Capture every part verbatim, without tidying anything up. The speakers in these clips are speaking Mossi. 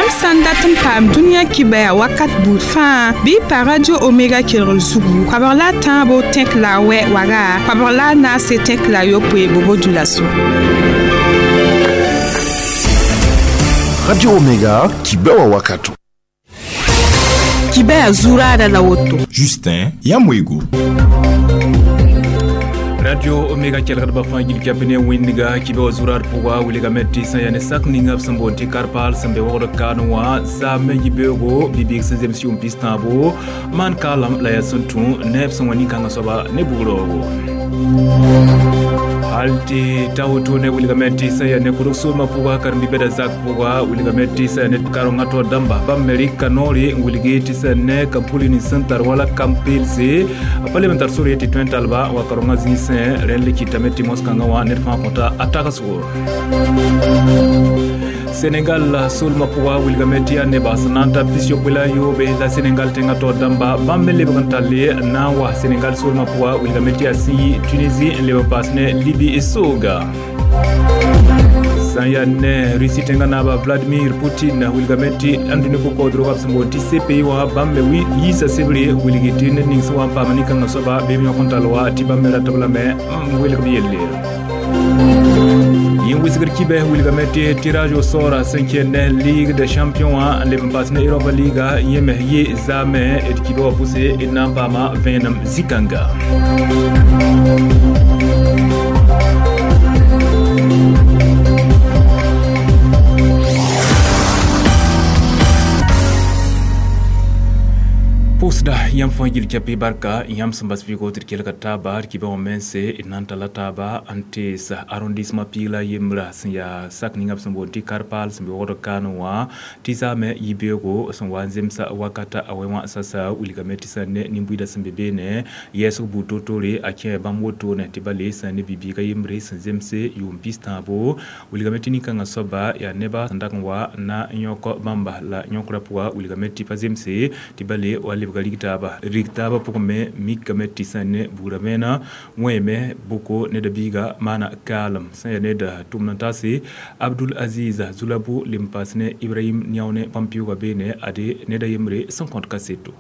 Yãmb sã n dat n paam dũniyã kibaya wakat buud fãa bɩ y pa Radio Omega kelgr zugu koabg la a tãabo tẽk la a wɛ waga koabg la a naase tẽk la a yopoe bobo dulaso. Radio Omega kibewa wakato. Kibaya zurada la woto. Justin Yamwego. Radio Omega kelgdba fãa gil kɛp ne wĩndga kibã wa zurar pʋga wilgame tɩ sã yaa ne sak ninga b sẽn boond tɩ karpaal sẽn be wogd kaan wã zaame yibeoogo bibiig sẽn zems yʋʋm pis-tãabo maan kaalem la yaa sẽn tũ neb sẽn wa nin-kãngã soaba ne bugraoogo hal tɩ ta woto ne wilgame tɩ sã yaa ne kʋdg soolmã pʋga karen-bi-bɛda zak pʋga wilgame tɩ sã yaa ne karengã taoor dãmba bãmb me rɩka noore n wilgi tɩ sã ne kam-puli nins sẽn tar wala kam-peelse pa leb n tar sore tɩ tõe n talba wa karengã zĩisẽ rẽnd le kɩtame tɩ mos-kãngã wã ned fãa kõta a tagsgo. Senegal solma pʋga wilgame tɩ yaa nebã sẽn na n ta pis-yopoe la a yoobe la Senegal tẽngã taoor dãmba bãmb me lebg n talle n na n wa Senegal solma pʋga wilgame tɩ yaa sẽn yi Tunisie n leb n paas ne Libi sooga. Sã n yaa ne Russie tẽngã naaba Vladimir Poutine wilgame tɩ ãndũni ko-kaoodrgã b sẽn boond tɩ C P I wã bãmb me yiisa sebre wilgi tɩ ned ning sẽn wa n paama nin-kãngã soaba bɩ b yõk n tall wa tɩ bãmb me ratb lame n welg b yelle. Yẽn wisgr kibɛ wilgame tɩ tirage au sort sẽn kẽnd ne Ligue des champions wã n leb n paas ne Europa Liga yẽ me yɩ zaame d kibã wã pʋse d na n paama vẽenem zĩ-kãnga. Pʋʋsda yãmb fãa gil kɛpɩ barka yãmb sẽn bas vɩɩgo tɩ d kelga taaba d kibã wã mense d na n talla taaba n tees arrondissement piig la a yembra sẽn yaa sak ninga b sẽn boond tɩ karpaal sẽn be wogd kaan wã tɩ zaame yibeoogo sẽn wa n zemsa wakata a wɛ wã sasa wilgame tɩ sã ne nin-buiidã sẽn be beene yɛɛsg buud toor-toore a kẽ bãmb wotone tɩ ba le sã ne bi-biigã yembre sẽn zemse yʋʋm pis-tãabo wilgame tɩ nin-kãngã soaba yaa neba sẽn dag n wa na n yõk bãmba la yõkrã pʋga wilgame tɩ pa zemse tɩ ba le wa lebga rig taaba rig taaba pʋgẽ me mikame tɩ sã ne buudã mena wẽeme boko ned biiga maana kaalem sã yaa ned tʋmd n taase Abdul Aziz Zulabu lem paas ne Ibrahim Niaone bãmb pɩʋʋga beene ade ned a yembre sẽn kõt kaseto.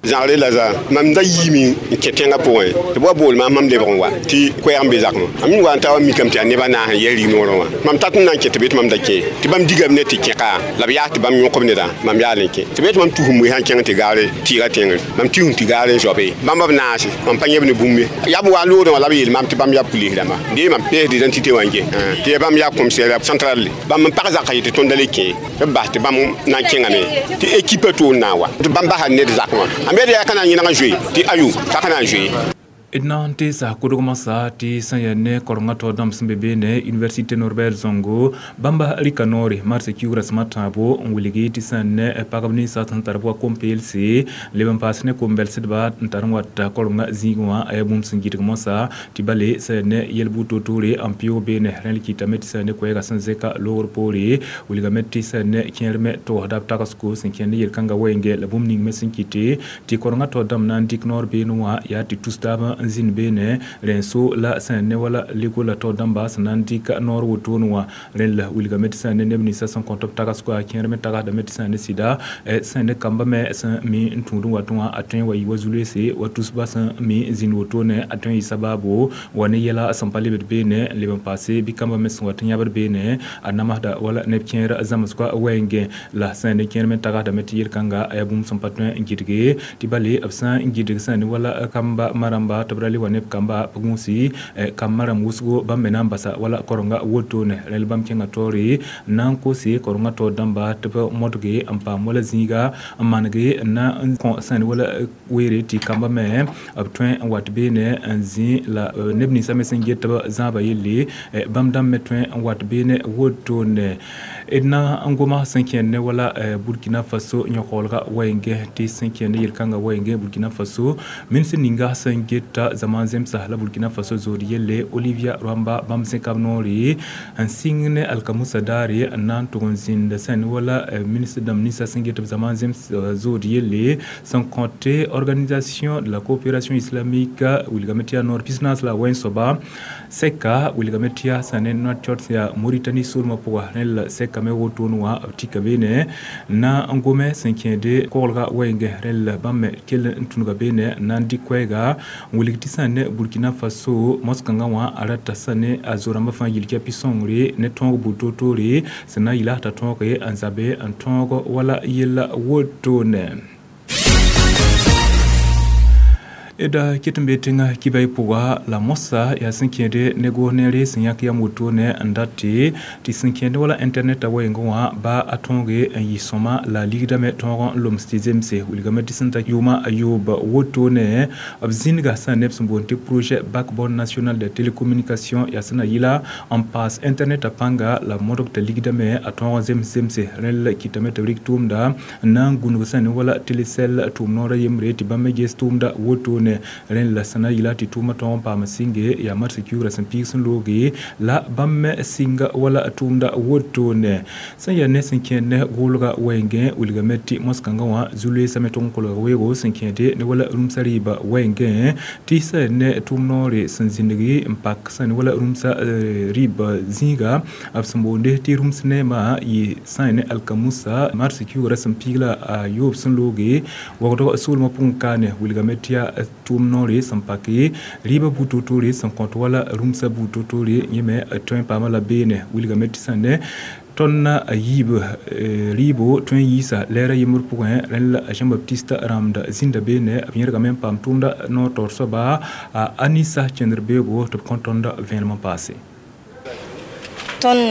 Zãgre la zã mam da yiime n kẽ tẽngã pʋgẽ tɩ b wa bool maam mam lebg n wa tɩ koɛɛg n be zakmã mam wa n ta wa mikame tɩ yaa nebã naas n yɛs rignoorẽ wã mam tat n na n kẽ tɩ be tɩ mam da kẽ tɩ bãmb digame ne tɩ kẽka la b yaas tɩ bãmb yõkb nedã mam yaal n kẽ tɩ be tɩ mam tus n moe sã n kẽng tɩ gaare tɩɩga tẽngre mam tus n tɩ gaare n zoabe bãmb b naase mam pa yẽb ne bũmb ye yaa b wa loodẽ wã la b yeel maam tɩ bãmb yaa pulis rãmba dee mam pees d'identité wã n gẽ tɩ yaa bãmb yaa commissaire central bãmb n pag zakã yetɩ tõnd da le kẽ tɩ b bas tɩ bãmb na n kẽngame tɩ équipe toor na n wa tɩ bãmb basa ned zakẽ wã a me yaa ka na n yẽneg n zoe tɩ ayo t'a ka na n zoe. D na n teesa kodgmã sa tɩ sã n yaa ne korengã taoor dãmb sẽn be beene Université Norbert Zongo bãmba rɩka noore marsã kiugrã sẽm a tãabo n wilgi tɩ sã n ne pagb ninsã sẽn tar b wa kom-peelse leb n paas ne kom-bɛlsdba n tar n wat korengã zĩig wã a yaa bũmb sẽn gɩdg mosã tɩ bale sã yaa ne yel-buud toor-toore n pɩʋʋg beene rẽ le kɩtame tɩ sã yaa ne koɛɛgã sẽn zẽka loogr poore wilgame tɩ sã n ne kẽer me togsda b tagsgo sẽn kẽnd ne yel-kãngã wɛɛngẽ la bũmb ning me sẽn kɩte tɩ korengã taoor dãmb na n dɩk noor beene wã yaa tɩ tus taabã n zĩnd beene rẽn-so la sã n ne wala lego la taoor dãmba sẽn na n dɩk noor wotone wã rẽnd la wilgame tɩ sã n ne neb ninsã sẽn kõt b tagsgo a kẽer me tagsdame tɩ sã n ne sɩda sã n ne kamba me sẽn mi n tũud n wat wã a tõe n wa yɩ wa zu-loeese wa tusba sẽn mi n zĩnd wotone a tõe n yɩ sabaabo wa ne yɛla sẽn pa lebd beene n leb n paase bɩ kamba me sẽn wat n yãbd beene a namsda wala neb kẽer zãmsgã wɛɛngẽ la sã n ne kẽer me tagsdame tɩ yel-kãnga a yaa bũmb sẽn pa tõe n gɩdge tɩ bale b sã n gɩdg sã n ne wala kamba maramba tɩ b ra le wa neb kamba pʋgũusi kambã rãmb wʋsgo bãmb me na n basa wala korenga wotone rẽl bãmb kẽngã taoore n na n kose korenga taoor dãmba tɩ b modge n paam wala zĩiga n manege n na n kõ sã ne wala weere tɩ kamba me b tõe n wat beene n zĩ la neb ninsã me sẽn get tɩ b zãaba yelle bãmb dãmb me tõe n wat beene wotone d na n goma sẽn kẽnd ne wala Burkina Faso yõkoolga wɛɛngẽ tɩ sẽn kẽnd yel-kãngã wɛɛngẽ Burkina Faso ministr ninga sẽn geta zaman zemsa la Burkina Faso zood yelle Olivia Rwamba bãmb zẽka b noore n sɩng ne alkamusa daare n na n tʋg n zĩnd sẽn wala ministre dãmb ninsã sẽn get b zaman zems zood yelle sẽn kõte Organisation de la coopération islamique wilgame tɩ yaa noor pis-naas la a wɛn soaba sɛka wilgame tɩ yaa sã ne Nouakchott yaa Mauritanie soolmã pʋga rẽnd la sɛka kame wotone wã b tika beene na n gome sẽn kẽede koglga wɛɛngẽ rẽl bãmb me kell n tũnuga beene n na n dɩk koɛɛga n wilg tɩ sã ne Burkina Faso mos-kãngã wã a rata sã ne a zo-rãmbã fãa yil kɛpɩ sõngre ne tõog buud toor-toore sẽn na n yɩla t'a tõoge n zabe n tõog wala yella wotone. Da ket n be tẽŋa kibay pʋga la mosa yaa sẽn kẽede ne goos neere sẽn yãk yam wotone n dat tɩ sẽn kẽede wala internet a wɛɛngẽ wã ba a tõoge n yɩ sõma la a ligdame tõog n loms tɩ zemse wilgame tɩ sẽn ta yʋʋma a yoob wotone b zĩnga sã neb sẽn boond tɩ projet backbone national de télécommunication yaa sẽn na yɩla n paas internet a pãnga la modg t'a ligdame a tõog n zems zemse rẽl kɩtame tɩ b rɩk tʋʋmda n na n gũnug sã ne wala telecel tʋʋm noorã yembre tɩ bãmb me ges tʋʋmda wotone rẽn la sẽn na yɩla tɩ tʋʋmã tõog n paam sɩnge yaa mars kiugrã sẽn piig sẽn looge la bãmb me sɩnga wala tʋʋmda wotone sẽn yaa ne sẽn kẽed ne goolga wɛɛngẽ wilgame tɩ mos-kãngã wã zu-loeesame tʋg n kolga weoogo sẽn kẽede ne wala rũmsã rɩɩbã wɛɛngẽ tɩ sã ne tʋʋm noore sẽn zĩndgi n pak sã ne wala rũmsã rɩɩbã zĩiga b sẽn boonde tɩ rũms neemã yɩ sã ne alkamusa mars kiugrã sẽn piig la a yoob sẽn looge wagdg soolmã pʋgẽ kaane wilgame tɩ yaa tʋʋm noore sẽn pake rɩɩbã buud toor-toore sẽn kõt wala rũmsã buud toor-toore yẽ me tõe n paama la beene wilgame tɩ sã ne tõnd a yiib rɩɩbo tõe n yiisa lɛɛrã yembr pʋgẽ rẽn la Jean Baptiste rãmda zĩnda beene b yẽrgame n paam tʋʋmda noor taoor soaba a Anisa kẽndr beoogo tɩ b kõ tõnd vẽenem n paase. Tõnd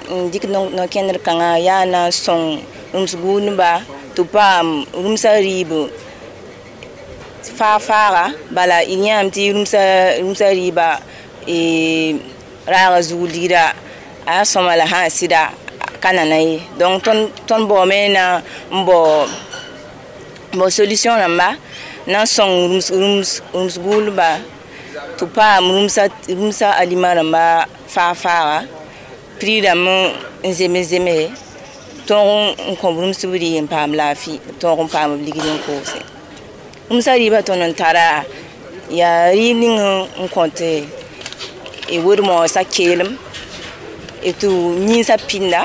n dɩk no-kẽndr kãngã yaa na n sõng rũms gũudba tɩ paam rũmsã rɩɩb faa-faaga bala d yãame tɩ rũmsã rɩɩbã raaga zug ligra a yaa sõma la sã n sɩda ka nana ye donc tõnd baoome na n bao bao solution rãmba na n sõng rũms gũudba tɩ paam rũmsã alima rãmba faa-faaga prix rãmb n zems zemse tõog n kõ b rũmsb rɩ n paam laafɩ tõog n paam b ligd n koose. Rũmsã rɩɩbã tõnd n tara yaa rɩɩb ning n kõt wed-moosã keelem tɩ yĩnsã pĩnda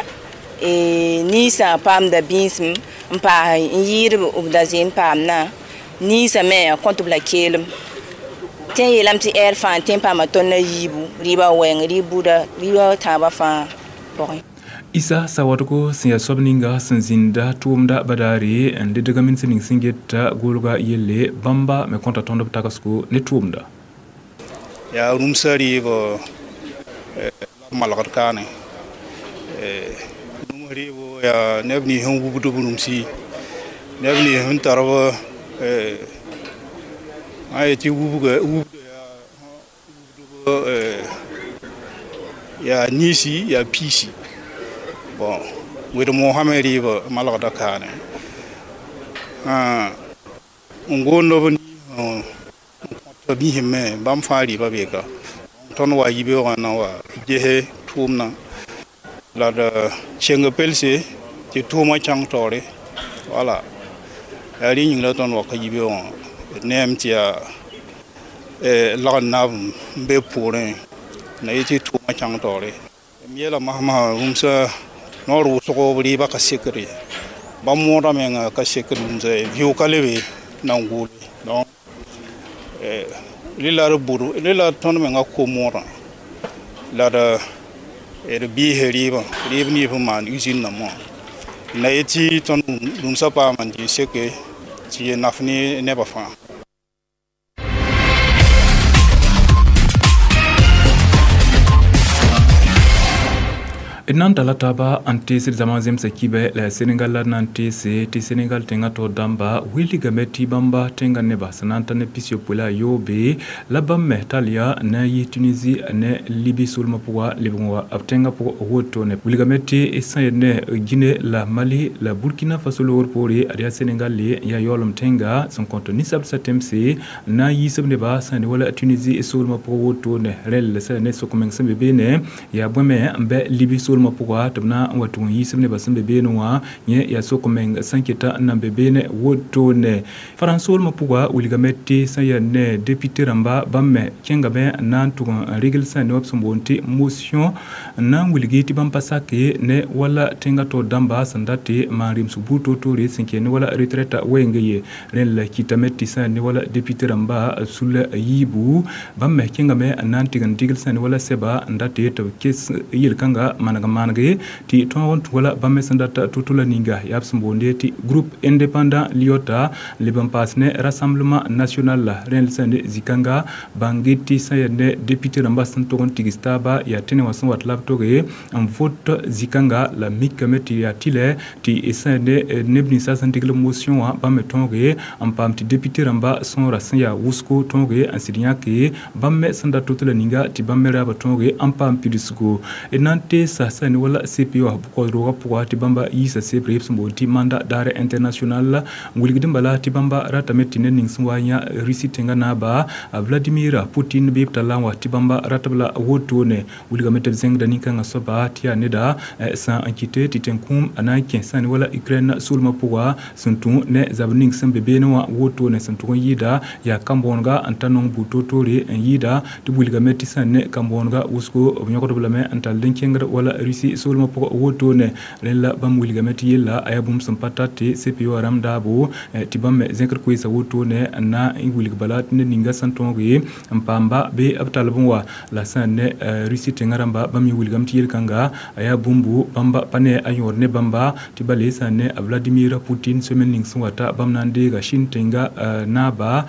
ninsã paamda bĩisem n paas n yɩɩd b da zee n paamdã ninsã me a kõt b la keelem tɩ n yeelame tɩ ɛɛr fãa tẽ n paama tõnd a yiibu rɩɩbã wɛɛng rɩɩb buda rɩɩbã tãabã fãa pʋgẽ. Isa sawadgo sẽn yaa soab ninga sẽn zĩnda tʋʋmda badaare n ledg min sẽn ning sẽn geta goolga yelle bãmba me kõta tõnd b tagsgo ne tʋʋmda. Yaa rũmsã rɩɩb malgd kaane rũms rɩɩbo yaa neb nins sẽn wubd b rũmsi neb nins sẽn tar b sã n yetɩ wubga wubda yaa yaa niisi yaa piisi bon wed-moosã me rɩɩbã malgda kaane n goond b n kõt biisẽ me bãmb fãa rɩɩbã beeka tõnd wa yibeoogã na wa gese tʋʋmdã la d keng pelse tɩ tʋʋmã kãng taoore wala yaa rẽ yĩng la tõnd wa ka yibeoogã d neem tɩ yaa lagn naab n be poorẽ na yetɩ tʋʋmã kãng taoore m yeela masmã rũmsã noor wʋsgo b rɩɩbã ka sekd ye bãmb moodã menga ka sekd rũmsã ye vɩʋ ka lebe na n goole donc rẽ la d bʋd rẽ la tõnd menga ko-moodã la d d biise rɩɩbã rɩɩb nins n maan usine nambã na yetɩ tõnd rũmsã paama n tɩ seke tɩ yẽ naf ne nebã fãa. D na n tala taaba n teesd zãma zemsa kibɛ la Senegal la na n teese tɩ Senegal tẽngã taoor dãmba wilgame tɩ bãmba tẽngã nebã sẽn na n ta ne pis-yopoe la a yoobe la bãmb me tall yaa na n yɩ Tunisie ne Libi soolmã pʋga lebg n wa b tẽngã pʋgẽ wotone wilgame tɩ sã yen ne Guinée la Mali la Burkina Faso loogr poore ad yaa Senegal le n yaa yaoolem tẽnga sẽn kõt ninsabsã tẽmse n na n yiisb nebã sã ne wala Tunisie soolmã pʋgẽ wotone rẽl sã ne sok-meng sẽn be beene yaa bõe me n bɛ Libi soolmã soolmã pʋga tɩ b na n wa tʋg n yiisb nebã sẽn be beene wã yẽ yaa sok meng sẽn keta n nan be beene wotone farãns soolmã pʋga wilgame tɩ sẽn yaa ne député rãmba bãmb me kẽngame n na n tʋg n regl sẽn ne b sẽn boond tɩ motion n na n wilgi tɩ bãmb pa sake ne wala tẽngã taoor dãmba sẽn dat tɩ maan rɩmsg buud toor-toore sẽn kẽ ne wala retraite wɛɛngã ye rẽnd la kɩtame tɩ sẽn ne wala député rãmba sul yiibu bãmb me kẽngame n na n tɩg n digl sẽn ne wala sɛba n dat tɩ b kes yel-kãnga maneg manege tɩ tõog n tũ wala bãmb me sẽn dat to-to la ninga yaa b sẽn boonde tɩ groupe indépendant liota leb n paas ne rassemblement national la rẽnd sẽn ne zĩ-kãnga bãng tɩ sẽn yaa ne député rãmba sẽn tog n tigs taaba yaa tẽne wã sẽn wat la b toge n vot zĩ-kãnga la mikame tɩ yaa tɩlɛ tɩ sẽn ne neb ninsã sẽn digl motion wã bãmb me tõoge n paam tɩ député rãmba sõora sẽn yaa wʋsgo tõoge n sɩd yãke bãmb me sẽn dat to-to la ninga tɩ bãmb me raaba tõoge n paam pidsgo d na n teesa sẽn ne wala C P O bʋ-kaood-roogã pʋga tɩ bãmba yiisa sebre b sẽn boond tɩ mandat d'arrêt international n wilgd n bala tɩ bãmba ratame tɩ ned ning sẽn wa yã Russie tẽngã naaba Vladimir Putin bɩ b talla n wa tɩ bãmba ratb la wotone wilgame tɩ b zẽngda nin-kãngã soaba tɩ yaa neda sã n kɩte tɩ tẽn-kũum a na n kẽ sã ne wala Ukraine soolmã pʋga sẽn tũ ne zab ning sẽn be beene wã wotone sẽn tʋg n yɩɩda yaa kambõonega n ta nong buud toor-toore n yɩɩda tɩ b wilgame tɩ sã ne kambõonega wʋsgo b yõgdb lame n tall n kẽngd wala Russie soolmã pʋgã wotone rẽnd la bãmb wilgame tɩ yella a yaa bũmb sẽn pa tar tɩ C P O rãmb daabo tɩ bãmb me zẽkd koeesa wotone n na n wilg bala tɩ ned ninga sẽn tõoge n paamba bɩ b talb n wa la sã n ne Russie tẽngã rãmba bãmb me wilgame tɩ yel-kãnga a yaa bũmbu bãmba pa ne a yõod ne bãmba tɩ bale sã n ne Vladimir Putin semaine ning sẽn wata bãmb na n deega Chine tẽnga naaba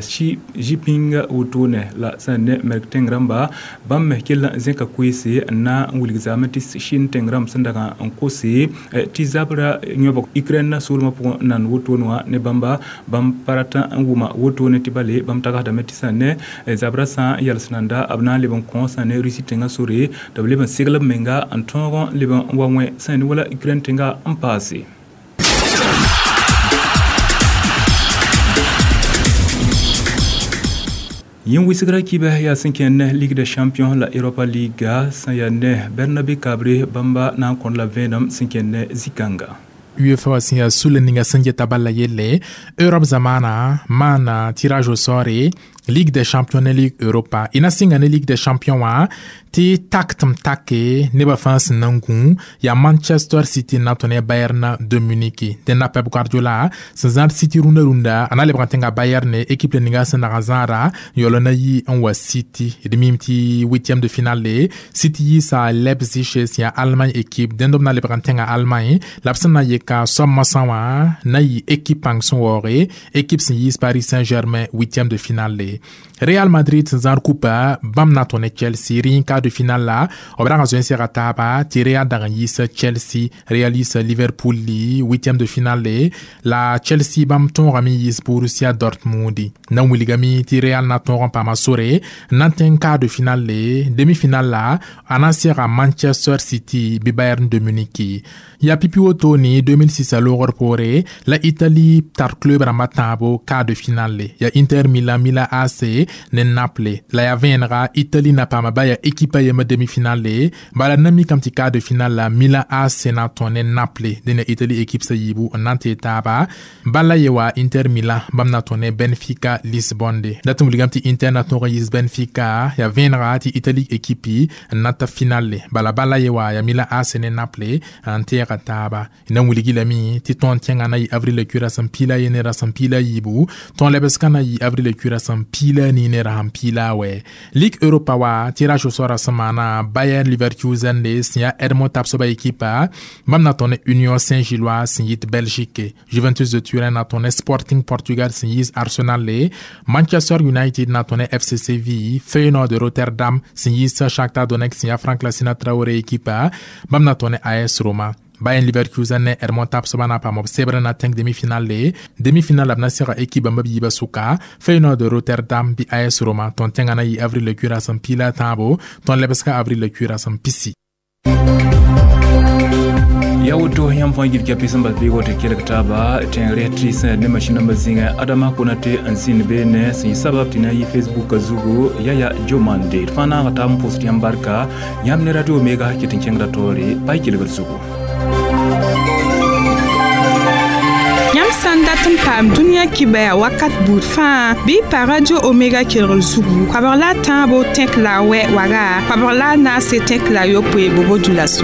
Xi Jinping wotone la sã n ne Merk tẽng rãmba bãmb me kell n zẽka koeese n na n wilg zaame tɩ Chine tẽng rãmb sẽn dag n kose tɩ zabra yõbg Ukraine soolmã pʋgẽ n nan wotone wã ne bãmba bãmb pa rat n wʋma wotone tɩ bale bãmb tagsdame tɩ sã n ne zabra sã n yals nanda b na n leb n kõ sã ne Russie tẽngã sore tɩ b leb n segl b menga n tõog n leb n wa wẽ sã ne wala Ukraine tẽnga n paase. Yẽn wɩsgra kibɛ yaa sẽn kẽnd Ligue des champions la Europa League sẽn yaa ne Bernabe Kabre bãmba na n kõd la vẽenem sẽn kẽnd zĩ-kãnga. UEFA sẽn yaa sule ninga sẽn geta bala yelle Europe zamana maana tirage au sort Ligue des champions ne Ligue Europa ina sɩnga ne Ligue des champions wã tɩ tak tɩ m take nebã fãa sẽn na n gũ yaa Manchester City na tõ ne Bayern de Munich dẽnda Pep Guardiola sẽn zãad City rũndã rũndã a na lebg n tẽnga Bayern ne équipe le ninga sẽn dag n zãada yaool na yi n wa City d mim tɩ huitième de finale City yiisa Leipzig sẽn yaa Allemagne équipe dẽnd b na lebg n tẽnga Allemagne la b sẽn na yeka soab moasã wã na yɩ équipe pãng sẽn waooge équipe sẽn yiis Paris Saint-Germain huitième de finale. Real Madrid sẽn zãad kupa bãmb na tõ ne Chelsea rẽ quart de finale la b rag n zoe n sega taaba tɩ Real dag n yiis Chelsea Real yiisa Liverpool huitième de finale la Chelsea bãmb tõogame n yiis Borussia Dortmund na n wilgame tɩ Real na tõog n paama sore n na n tẽng quart de finale demi-finale la a na n sega Manchester City bɩ Bayern de Munich ya pipi wotone deux mille six a loogr poore la Italie tar club rãmba tãabo quart de finale ya Inter Milan Milan A C ne Naples la ya vẽenega Italie na paama ba ya équipe a yembr demi-finale bala na mikame tɩ quart de finale la Milan A C na tõe ne Naples dẽnda Italie équipe sã yiibu n na n tee taaba bala ye wa Inter Milan bãmb na tõe ne Benfica Lisbonne dat n wilgame tɩ Inter na tõog n yiis Benfica ya vẽenega tɩ Italie équipe n na ta finale bala bala ye wa ya Milan A C ne Naples n tɛɛga taaba na n wilgi lame tɩ tõnd tẽngã na yɩ avril kura sẽn piila ye ne rasẽn piila yiibu tõnd lebsgã na yɩ avril kura sẽn piila ni ne rasẽn piila wɛ Ligue Europa wa tirage au sort sẽn maana Bayer Leverkusen le sẽn yaa Edmond Tapsoba équipe bãmb na tõe ne Union Saint-Gilloise sẽn yit Belgique Juventus de Turin na tõe ne Sporting Portugal sẽn yiis Arsenal le Manchester United na tõe ne F C Séville Feyenoord de Rotterdam sẽn yiis Shakhtar Donetsk sẽn yaa Frank Lassina Traoré équipe bãmb na tõe ne A S Roma Bayern Leverkusen ne Edmond Tapsoba na paam b sebr na tẽng demi-finale demi-finale b na sega équipe bãmb b yiibã sʋka Feyenoord de Rotterdam bɩ A S Roma tõnd tẽngã na yɩ avril kura sẽn piila tãabo tõnd lebsga avril kura sẽn pisi. Ya woto yãmb fãa yib kɛpɩ sẽn bas beego tɩ kelg taaba tẽngre tɩ sẽn ne masĩnãmbã zĩngẽ Adama Konate n zĩnd beene sẽn yɩ sabab tɩ na n yɩ Facebook zugu yaya Jomande d fãa naaga taab n pʋsd yãmb barka yãmb ne Radio Omega ket n kẽngda taoore pa y kelgd zugu. Yãmb sã n dat n paam dũniyã kibaya wakat buud fãa bɩ y pa Radio Omega kelgr zugu koabg la a tãabo tẽk la a wɛ waga koabg la a naase tẽk la a yopoe bobo dulaso.